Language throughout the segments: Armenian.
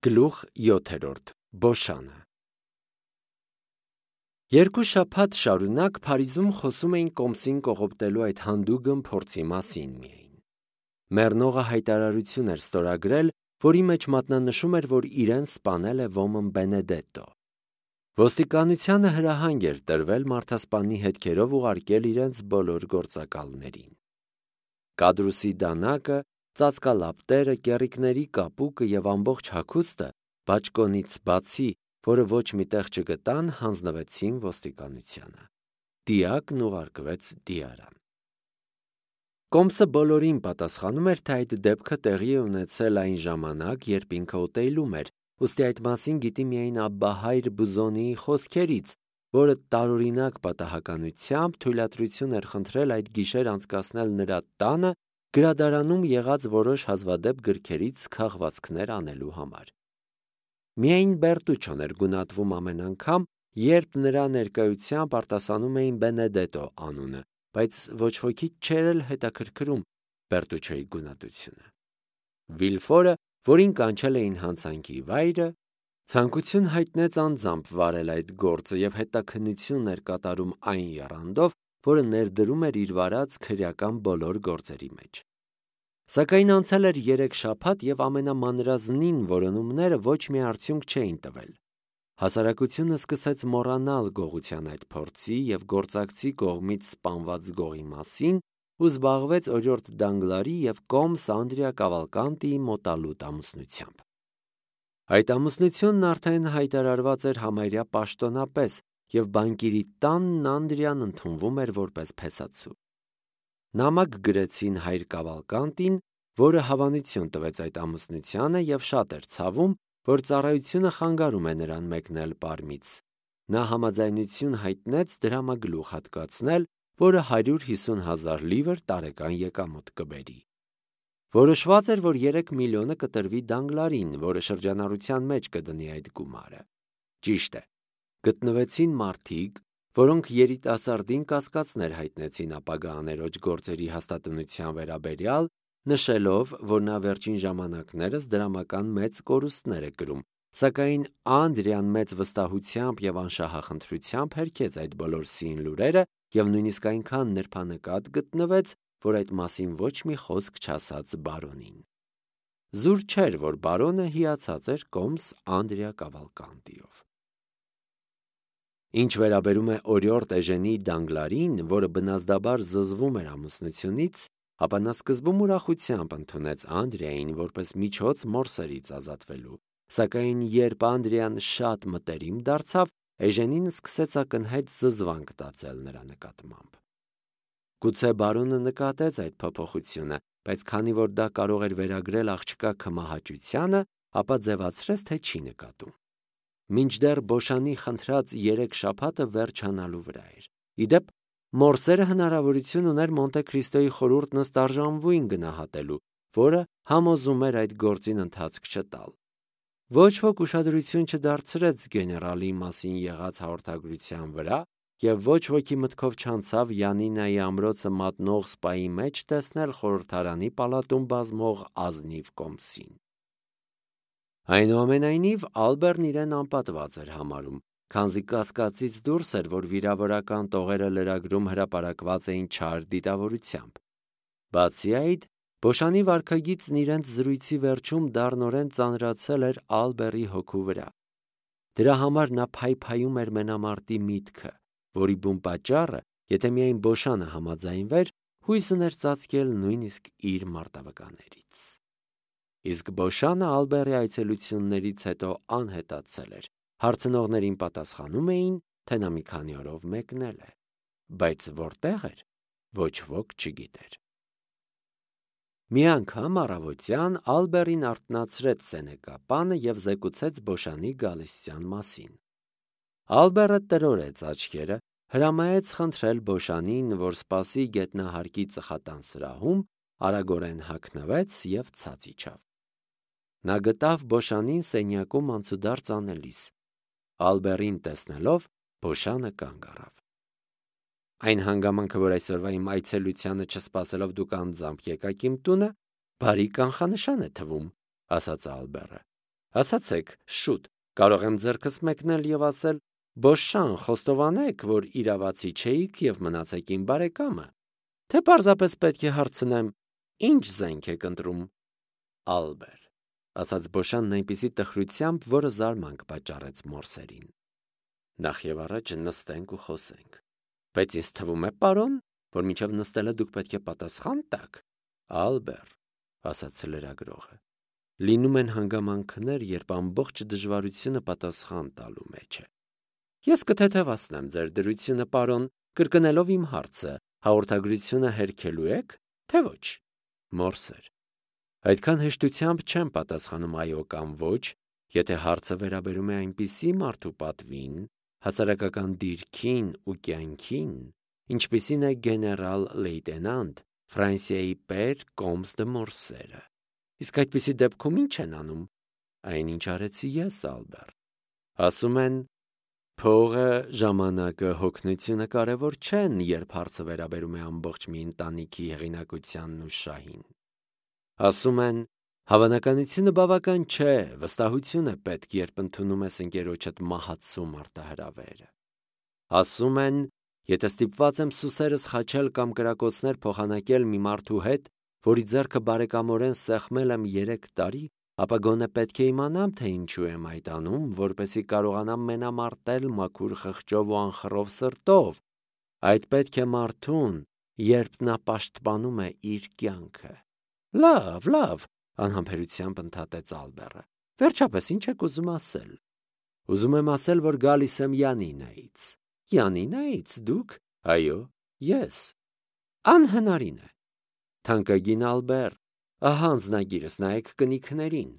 Գլուխ 7. Բոշանը։ Երկու շաբաթ շարունակ Փարիզում խոսում էին Կոմսին կողոպտելու այդ հանդուգն փորձի մասին միայն։ Մեռնողը հայտարարություն էր ստորագրել, որի մեջ մատնանշում էր, որ իրեն սպանել է ոմն Բենեդետո։ Ոստիկանությանը հրահանգ էր տրվել մարդասպանի հետքերով ուղարկել իրենց բոլոր գործակալներին։ Կադրուսի դանակը, ծածկալապտերը, կեռիկների կապուկը եւ ամբողջ հագուստը բաճկոնից բացի, որը ոչ մի տեղ չգտան, հանձնվեցին ոստիկանությանը։ Դիակն ուղարկվեց դիարան։ Կոմսը բոլորին պատասխանում էր, թե այդ դեպքը տեղի է ունեցել այն ժամանակ, երբ ինքը օտեյլում էր, ուստի այդ մասին գիտի միայն Աբբահայր Բուզոնիի խոսքերից, որը տարօրինակ պատահականությամբ թույլատրություն էր խնդրել այդ գիշեր անցկացնել նրա տանը գրադարանում եղած որոշ հազվադեպ գրքերից քաղվածքներ անելու համար։ Միայն Բերտուչոն էր գունատվում ամեն անգամ, երբ նրա ներկայությամբ արտասանում էին Բենեդետո անունը, բայց ոչ ոքի չէր էլ հետաքրքրում Բերտուչոյի գունատությունը։ Վիլֆորը, որին կանչել էին հանցանքի վայրը, ցանկություն հայտնեց անձամբ վարել այդ գործը եւ հետաքննություն էր կատարում այն եռանդով, որը ներդրում էր իր վարած քրեական բոլոր գործերի մեջ։ Սակայն անցել էր 3 շաբաթ եւ ամենամանրազնին որոնումները ոչ մի արդյունք չէին տվել։ Հասարակությունը սկսեց մոռանալ գողության այդ փորձի եւ գործակցի կողմից սպանված գողի մասին ու զբաղվեց օրիորդ Դանգլարի եւ Կոմս Անդրիա Կավալկանտիի մոտալուտ ամուսնությամբ։ Այդ ամուսնությունն արդեն հայտարարված էր համարյա պաշտոնապես եւ բանկիրի տանն Անդրիան ընդունվում էր որպես փեսացու։ Նամակ գրեցին հայր Կավալկանտին, որը հավանություն տվեց այդ ամուսնությանը եւ շատ էր ցավում, որ ծառայությունը խանգարում է նրան մեկնել Պարմից։ Նա համաձայնություն հայտնեց դրամագլուխ հատկացնել, որը 150,000 լիվր տարեկան եկամուտ կբերի։ Որոշված էր, որ 3 միլիոնը կտրվի Դանգլարին, որը շրջանառության մեջ կդնի այդ գումարը։ Ճիշտ է, գտնվեցին մարդիկ, որոնք երիտասարդին կասկածներ հայտնեցին ապագա աներոջ գործերի հաստատունության վերաբերյալ, նշելով, որ նա վերջին ժամանակներս դրամական մեծ կորուստներ է կրում, սակայն Անդրիան մեծ վստահությամբ եւ անշահախնդրությամբ հերքեց այդ բոլոր սին լուրերը եւ նույնիսկ այնքան նրբանկատ գտնվեց, որ այդ մասին ոչ մի խոսք չասաց բարոնին։ Զուր չէր, որ բարոնը հիացած էր Կոմս Անդրիա Կավալկանտիով։ Ինչ վերաբերում է օրիորդ Էժենի Դանգլարին, որը բնազդաբար զզվում էր ամուսնությունից, ապա նա սկզբում ուրախությամբ ընդունեց Անդրիային որպես միջոց մորսերից ազատվելու, սակայն երբ Անդրիան շատ մտերիմ դարձավ, Էժենին սկսեց ակնհայտ զզվանք տածել նրա նկատմամբ։ Գուցե բարոնը նկատեց այդ փոփոխությունը, բայց քանի որ դա կարող էր վերագրել աղջկա քմահաճությանը, ապա ձևացրեց, թե չի նկատում։ Մինչդեռ Բոշանի խնդրած 3 շաբաթը վերջանալու վրա էր։ Իդեպ, մորսերը հնարավորություն ուներ Մոնտե Քրիստոյի խորհուրդն ըստ արժանվույն գնահատելու, որը համոզում էր այդ գործին ընթացք չտալ։ Ոչ ոք ուշադրություն չդարձրեց գեներալի մասին եղած հաղորդագրության վրա, եւ ոչ ոքի մտքով չանցավ Յանինայի ամրոցը մատնող սպայի մեջ տեսնել խորհրդարանի պալատում բազմող ազնիվ Կոմսին։ Այնուամենայնիվ Ալբերն իրեն անպատված էր համարում, քանզի կասկածից դուրս էր, որ վիրավորական տողերը լրագրում հրապարակված էին չար դիտավորությամբ։ Բացի այդ, Բոշանի վարքագիծն իրենց զրույցի վերջում դառնորեն ծանրացել էր Ալբերի հոգու վրա։ Դրա համար նա փայփայում էր մենամարտի միտքը, որի բուն պատճառը, եթե միայն Բոշանը համաձայնվեր, հույս ուներ ծածկել նույնիսկ իր մարտավկաներից։ Իսկ Բոշանը Ալբերի այցելություններից հետո անհետացել էր։ Հարցնողներին պատասխանում էին, թե նա մի քանի օրով մեկնել է, բայց որտեղ էր, ոչ ոք չգիտեր։ Մի անգամ առավոտյան Ալբերին արթնացրեց սենեկապանը եւ զեկուցեց Բոշանի գալստյան մասին։ Ալբերը տրորեց աչքերը, հրամայեց խնդրել Բոշանին, որ սպասի գետնահարկի ծխատան սրահում, արագորեն հագնվեց եւ ցած իջավ։ Նա գտավ Բոշանին սենյակում անցուդարձ անելիս։ Ալբերին տեսնելով, Բոշանը կանգ առավ։ Այն հանգամանքը, որ այսօրվա իմ այցելությանը չսպասելով դուք անձամբ եկաք իմ տունը, բարի կանխանշան է թվում, ասաց Ալբերը։ Ասացեք, շուտ, կարող եմ ձեռքս մեկնել եւ ասել. «Բոշան, խոստովանեք, որ իրավացի չէիք եւ մնացեք իմ բարեկամը»։ Թե պարզապես պետք է հարցնեմ. «Ինչ զենք եք ընտրում»։ Ալբեր, ասաց Բոշանն այնպիսի տխրությամբ, որը զարմանք պատճառեց Մորսերին։ Նախ եւ առաջ նստենք ու խոսենք։ Բայց ինձ թվում է, պարոն, որ մինչև նստելը դուք պետք է պատասխան տաք։ Ալբեր, ասաց լրագրողը, լինում են հանգամանքներ, երբ ամբողջ դժվարությունը պատասխան տալու մեջ է։ Ես կթեթևացնեմ ձեր դրությունը, պարոն, կրկնելով իմ հարցը, հաղորդագրությունը հերքելու եք, թե ոչ։ Մորսեր, այդքան հեշտությամբ չեմ պատասխանում այո կամ ոչ, եթե հարցը վերաբերում է այնպիսի մարդու պատվին, հասարակական դիրքին ու կյանքին, ինչպիսին է գեներալ լեյտենանտ Ֆրանսիայի Պեր Կոմս դե Մորսերը։ Իսկ այդպիսի դեպքում ինչ են անում։ Այնինչ արեցի ես, Ալբեր։ Ասում են, փողը, ժամանակը, հոգնությունը կարևոր չեն, երբ հարցը վերաբերում է ամբողջ մի ընտանիքի հեղինակությանն ու շահին։ Ասում են, հավանականությունը բավական չէ, վստահություն է պետք, երբ ընդունում ես ընկերոջդ մահացու մարտահրավերը։ Ասում են, եթե ստիպված եմ սուսերս խաչել կամ կրակոցներ փոխանակել մի մարդու հետ, որի ձեռքը բարեկամորեն սեղմել եմ 3 տարի, ապա գոնե պետք է իմանամ, թե ինչու եմ այդ անում, որպեսզի կարողանամ մենամարտել մաքուր խղճով ու անխռով սրտով։ Այդ պետք է մարդուն, երբ նա պաշտպանում է իր կյանքը։ Լավ, անհամբերությամբ ընդհատեց Ալբերը։ Վերջապես ինչ եք ուզում ասել։ Ուզում եմ ասել, որ գալիս եմ Յանինայից։ Յանինայից դուք։ Այո, ես։ Անհնարին է։ Թանկագին Ալբեր, ահա անձնագիրս, նայեք կնիքներին։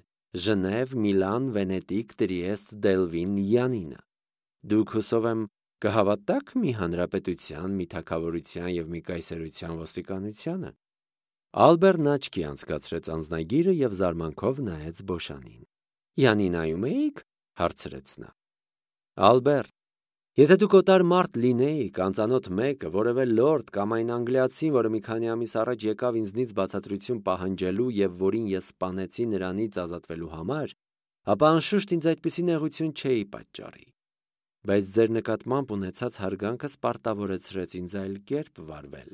Ժնև, Միլան, Վենետիկ, Տրիեստ, Դելվին, Յանինա։ Դուք հուսով եմ կհավատաք մի հանրապետության, մի թագավորության եւ մի կայսերության ոստիկանությանը։ Ալբերն աչքի անցկացրեց անձնագիրը եւ զարմանքով նայեց Բոշանին։ Յանինայում էիք, հարցրեց նա։ Ալբեր, եթե դուք օտար մարդ լինեիք, անծանոթ մեկը, որևէ լորդ կամ այն անգլիացին, որը մի քանի ամիս առաջ եկավ ինձնից բացատրություն պահանջելու եւ որին ես սպանեցի նրանից ազատվելու համար, ապա անշուշտ ինձ այդպիսի նեղություն չէի պատճառի։ Բայց ձեր նկատմամբ ունեցած հարգանքը սպարտավորեցրեց ինձ այլ կերպ վարվել։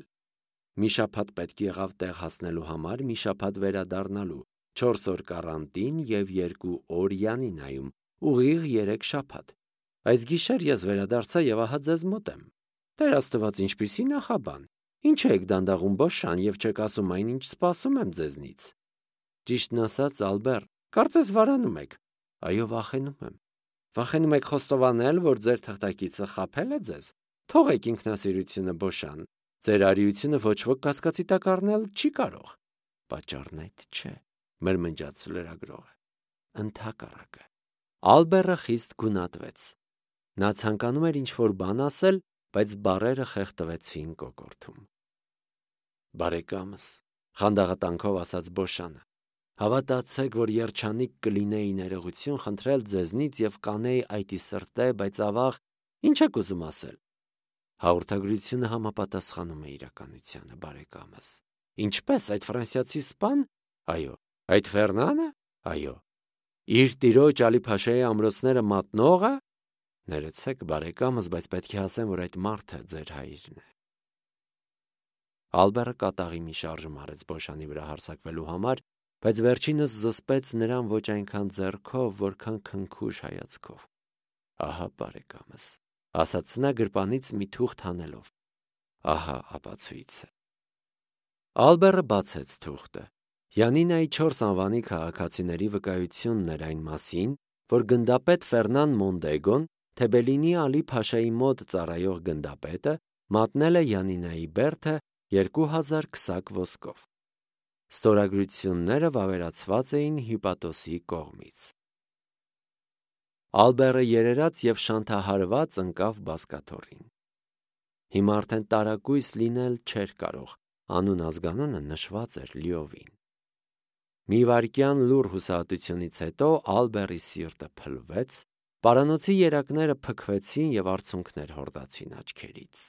Մի շաբաթ պետք եղավ տեղ հասնելու համար, մի շաբաթ վերադառնալու, 4 օր կարանտին եւ 2 օր Յանինայում, ուղիղ 3 շաբաթ։ Այս գիշեր ես վերադարձա եւ ահա ձեզ մոտ եմ։ Տեր Աստված, ինչպիսի նախաբան։ Ինչ եք դանդաղում Բոշան եւ չեք ասում այն, ինչ սպասում եմ ձեզնից։ Ճիշտն ասած, Ալբեր, կարծես վարանում եք։ Այո, վախենում եմ։ Վախենում եք խոստովանել, որ ձեր թղթակիցը խաբել է ձեզ։ Թողեք ինքնասիրությունը, Բոշան։ Ձեր արիությունը ոչ ոք կասկածի տակ առնել չի կարող։ Պատճառն այդ չէ, մրմնջաց լրագրողը։ Ընդհակառակը։ Ալբերը խիստ գունատվեց։ Նա ցանկանում էր ինչ-որ բան ասել, բայց բառերը խեղդվեցին կոկորդում։ Բարեկամս, խանդաղատանքով ասաց Բոշանը, հավատացեք, որ երջանիկ կլինեի ներողություն խնդրել ձեզնից եւ կանեի այդի սրտե, բայց ավաղ, ինչ եք ուզում ասել։ Հաղորդագրությունը համապատասխանում է իրականությանը, բարեկամս։ Ինչպես այդ ֆրանսիացի սպան։ Այո, այդ Ֆերնանը։ Այո, իր տիրոջ Ալի Փաշայի ամրոցները մատնողը։ Ներեցեք, բարեկամս, բայց պետք է ասեմ, որ այդ մարդը ձեր հայրն է։ Ալբերը կատաղի մի շարժում արեց Բոշանի վրա հարձակվելու համար, բայց վերջինս զսպեց նրան ոչ այնքան ձեռքով, որքան քնքուշ հայացքով։ Ահա, բարեկամս, ասաց նա գրպանից մի թուղթ հանելով։ Ահա ապացույցը։ Ալբերը բացեց թուղթը։ Յանինայի 4 անվանի քաղաքացիների վկայությունն էր այն մասին, որ գնդապետ Ֆերնան Մոնդեգոն, Թեբելինի Ալի Փաշայի մոտ ծառայող գնդապետը, մատնել է Յանինայի բերդը 2000 քսակ ոսկով։ Ստորագրությունները վավերացված էին Հյուպատոսի կողմից։ Ալբերը երերաց եւ շանթահարված ընկավ բազկաթոռին։ Հիմա արդեն տարակույս լինել չէր կարող, անուն ազգանունը նշված էր լիովին։ Մի վայրկյան լուր հուսահատությունից հետո Ալբերի սիրտը փլվեց, պարանոցի երակները փքվեցին եւ արցունքներ հորդացին աչքերից։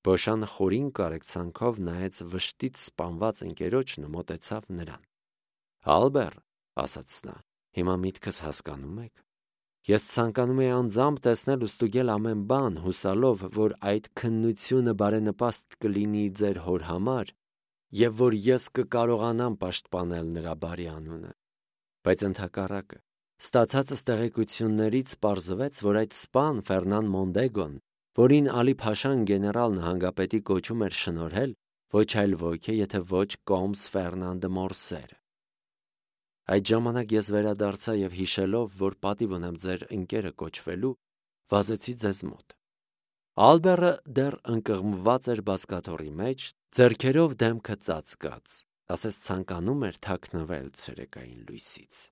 Բոշանը խորին կարեկցանքով նայեց վշտից սպանված ընկերոջն ու մոտեցավ նրան։ Ալբեր, ասաց նա, Հիմա միտքս հասկանում եք։ Ես ցանկանում եի անձամբ տեսնել ու ստուգել ամեն բան, հուսալով, որ այդ քննությունը բարենպաստ կլինի ձեր հոր համար և որ ես կկարողանամ պաշտպանել նրա բարի անունը։ Բայց ընդհակառակը, ստացածս տեղեկություններից պարզվեց, որ այդ սպան Ֆերնան Մոնդեգոն, որին Ալի Փաշան գեներալ նահանգապետի կոչում էր շնորհել, ոչ այլ ոք է, եթե ոչ Կոմս Ֆերնան դը Մորսերը։ Այդ ժամանակ ես վերադարձա և հիշելով, որ պատիվ ունեմ ձեր ընկերը կոչվելու, վազեցի ձեզ մոտ։ Ալբերը դեռ ընկղմված էր բազկաթոռի մեջ, ձեռքերով դեմքը ծածկած, ասես ցանկանում էր թաքնվել ցերեկային լույսից։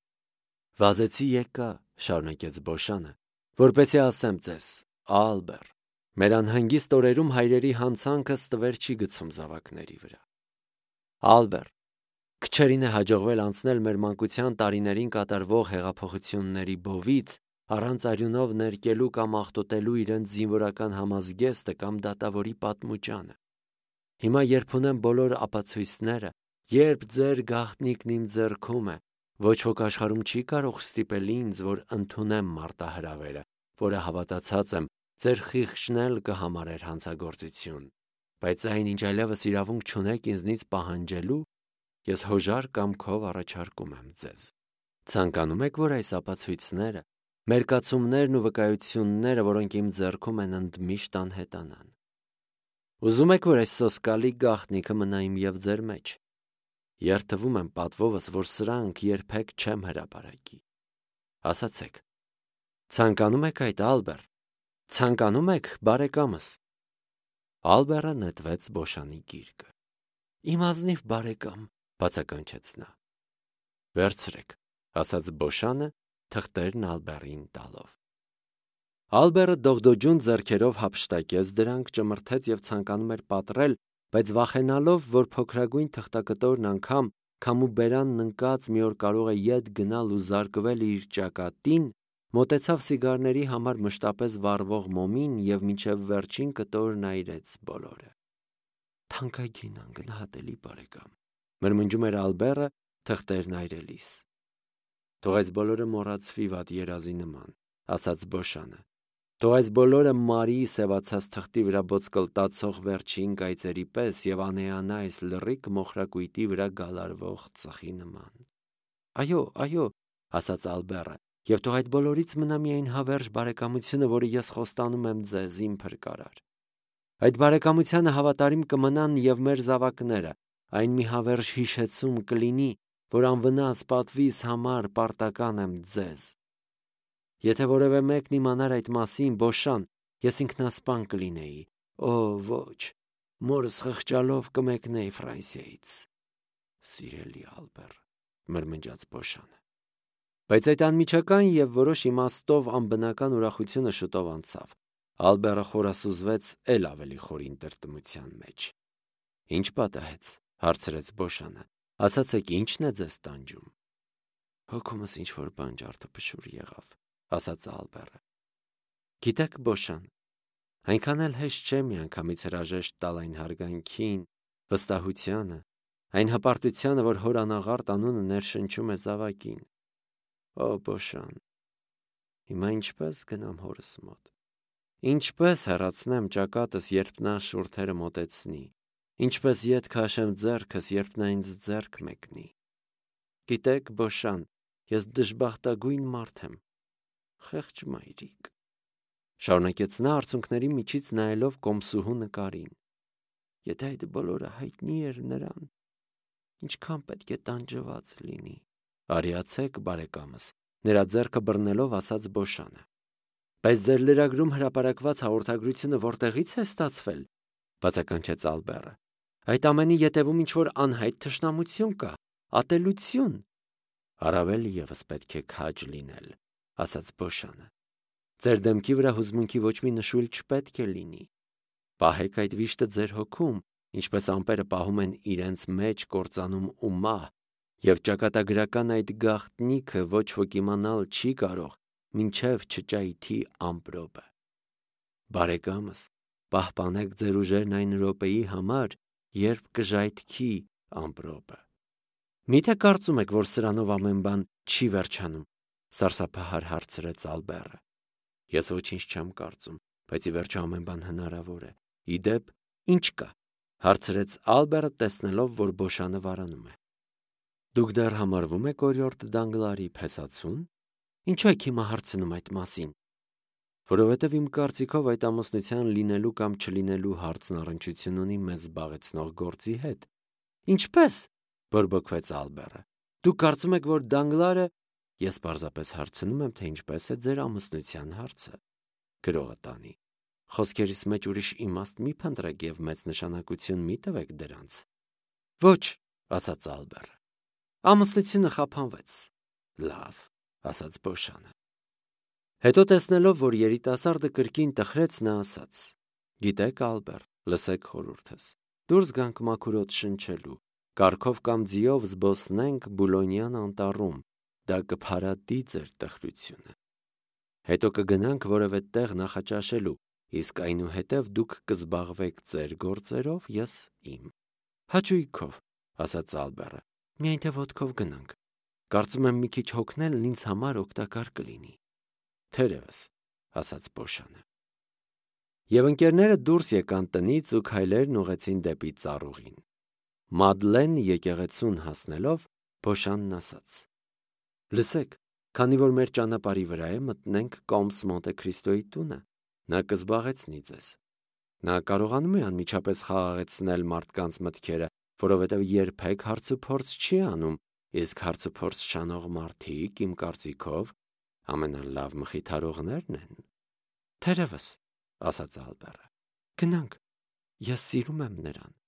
Վազեցի եկա, շարունակեց Բոշանը, որպեսզի ասեմ ձեզ, Ալբեր, մեր անհանգիստ օրերում հայրերի հանցանքը ստվեր չի գցում զավակների վրա։ Ալբեր, քչերին է հաջողվել անցնել մեր մանկության տարիներին կատարվող հեղափոխությունների բովից առանց արյունով ներկելու կամ աղտոտելու իրենց զինվորական համազգեստը կամ դատավորի պատմուճանը։ Հիմա երբ ունեմ բոլոր ապացույցները, երբ ձեր գաղտնիքն իմ ձեռքում է, ոչ ոք աշխարհում չի կարող ստիպել ինձ, որ ընդունեմ մարտահրավերը, որը հավատացած եմ, ձեր խիղճն էլ կհամարեր հանցագործություն, բայց այն, ինչ այլևս իրավունք չունեք ինձնից պահանջելու, ես հոժար կամքով առաջարկում եմ ձեզ։ Ցանկանում եք, որ այս ապացույցները, մերկացումներն ու վկայությունները, որոնք իմ ձեռքում են, ընդմիշտ անհետանան։ Ուզում եք, որ այս սոսկալի գաղտնիքը մնա իմ և ձեր մեջ։ Երդվում եմ պատվովս, որ սրանք երբեք չեմ հրապարակի։ Ասացեք, ցանկանում եք այդ, Ալբեր, ցանկանում եք, բարեկամս։ Ալբերը նետվեց Բոշանի գիրկը։ Իմ ազնիվ բարեկամ, բացականչեց նա։ Վերցրեք, ասաց Բոշանը, թղթերն Ալբերին տալով։ Ալբերը դողդոջուն ձեռքերով հափշտակեց դրանք, ճմրթեց և ցանկանում էր պատռել, բայց վախենալով, որ փոքրագույն թղթակտորն անգամ քամու բերանն ընկած մի օր կարող է ետ գնալ ու զարկվել իր ճակատին, մոտեցավ սիգարների համար մշտապես վառվող մոմին և մինչև վերջին կտորն այրեց բոլորը։ Թանկագին անգնահատելի բարեկամ, մրմնջում էր Ալբերը թղթերն այրելիս։ Թող այս բոլորը մոռացվի վատ երազի նման, ասաց Բոշանը։ Թող այս բոլորը մարի սևացած թղթի վրա ոտսկլտացող վերջին կայծերի պես և անեանա այս լռիկ մոխրակույտի վրա գալարվող ծխի նման։ Այո, ասաց Ալբերը, և թող այդ բոլորից մնա միայն հավերժ բարեկամությունը, որը ես խոստանում եմ ձեզ, իմ փրկարար։ Այդ բարեկամությանը հավատարիմ կմնան և մեր զավակները, այն մի հավերժ հիշեցում կլինի, որ անվնաս պատվիս համար պարտական եմ ձեզ։ Եթե որևէ մեկն իմանար այդ մասին, Բոշան, ես ինքնասպան կլինեի։ Օ, ոչ, մորս խղճալով կմեկնեի Ֆրանսիայից։ Սիրելի Ալբեր, մրմնջաց Բոշանը։ Բայց այդ անմիջական և որոշ իմաստով անբնական ուրախությունը շուտով անցավ։ Ալբերը խորասուզվեց էլ ավելի խորին տրտմության մեջ։ Ինչ պատահեց, հարցրեց Բոշանը։ Ասացեք, ի՞նչն է ձեզ տանջում։ Հոգումս ինչ-որ բան ջարդուփշուր եղավ, ասաց Ալբերը։ Գիտեք, Բոշան, այնքան էլ հեշտ չէ միանգամից հրաժեշտ տալ այն հարգանքին, վստահությանը, այն հպարտությանը, որ հոր անաղարտ անունը ներշնչում է զավակին։ Օ, Բոշան, հիմա ինչպես գնամ հորս մոտ։ Ինչպես հեռացնեմ ճակատս, երբ նա շուրթերը մոտեցնի։ Ինչպես ետ քաշեմ ձեռքս, երբ նա ինձ ձեռք մեկնի։ Գիտեք, Բոշան, ես դժբախտագույն մարդ եմ։ Խեղճ մայրիկ, շարունակեց նա արցունքների միջից նայելով կոմսուհու նկարին։ Եթե այդ բոլորը հայտնի էր նրան, ինչքան պետք է տանջված լինի։ Արիացեք, բարեկամս, նրա ձեռքը բռնելով ասաց Բոշանը։ Բայց ձեր լրագրում հրապարակված հաղորդագրությունը որտեղից է ստացվել, բացականչեց Ալբերը։ Այդ ամենի ետևում ինչ-որ անհայտ թշնամություն կա, ատելություն։ Առավել ևս պետք է քաջ լինել, ասաց Բոշանը։ Ձեր դեմքի վրա հուզմունքի ոչ մի նշույլ չպետք է լինի։ Պահեք այդ վիշտը ձեր հոգում, ինչպես ամպերը պահում են իրենց մեջ կործանում ու մահ, և ճակատագրական այդ գաղտնիքը ոչ ոք իմանալ չի կարող, մինչև չճայթի ամպրոպը։ Բարեկամս, պահպանեք ձեր ուժերն այն րոպեի համար, երբ կժայթքի ամպրոպը։ Միթե կարծում եք, որ սրանով ամեն բան չի վերջանում, Սարսափահար հարցրեց Ալբերը։ Ես ոչինչ չեմ կարծում, բայց ի վերջո ամեն բան հնարավոր է։ Իդեպ, ինչ կա, հարցրեց Ալբերը, տեսնելով, որ Բոշանը վարանում է։ Դուք դեռ համարվում եք օրիորդ Դանգլարի փեսացուն։ Ինչու եք հիմա հարցնում այդ մասին։ Որովհետև իմ կարծիքով այդ ամուսնության լինելու կամ չլինելու հարցն առնչություն ունի մեզ զբաղեցնող գործի հետ։ Ինչպե՞ս, բորբոքվեց Ալբերը։ Դուք կարծում եք, որ Դանգլարը… Ես պարզապես հարցնում եմ, թե ինչպես է ձեր ամուսնության հարցը։ Գրողը տանի։ Խոսքերիս մեջ ուրիշ իմաստ մի փնտրեք և մեծ նշանակություն մի տվեք դրանց։ Ոչ, ասաց Ալբերը։ Ամուսնությունը խափանվեց։ Լավ, ասաց Բոշանը։ Հետո տեսնելով, որ երիտասարդը կրկին տխրեց, նա ասաց. Գիտեք, Ալբեր, լսեք խորհուրդս։ Դուրս գանք մաքուր օդ շնչելու, կառքով կամ ձիով զբոսնենք Բուլոնյան անտառում, դա կփարատի ձեր տխրությունը։ Հետո կգնանք որևէ տեղ նախաճաշելու, իսկ այնուհետև դուք կզբաղվեք ձեր գործերով, ես իմ։ Հաճույքով, ասաց Ալբերը, միայն թե ոտքով գնանք։ Կարծում եմ մի քիչ հոգնելն ինձ համար օգտակար կլինի։ Թերևս, ասաց Բոշանը։ Եվ ընկերները դուրս եկան տնից ու քայլերն ուղղեցին դեպի ծառուղին։ Մադլեն եկեղեցուն հասնելով, Բոշանն ասաց. Լսեք, քանի որ մեր ճանապարհի վրա է, մտնենք Կոմս Մոնտե Քրիստոյի տունը, նա կզբաղեցնի ձեզ։ Նա կարողանում է անմիջապես խաղաղեցնել մարդկանց մտքերը, որովհետև երբեք հարցուփորձ չի անում, իսկ հարցուփորձ շանող մարդիկ, իմ կարծիքով, ամենալավ մխիթարողներն են։ Թերևս, ասաց Ալբերը, գնանք, ես սիրում եմ նրան։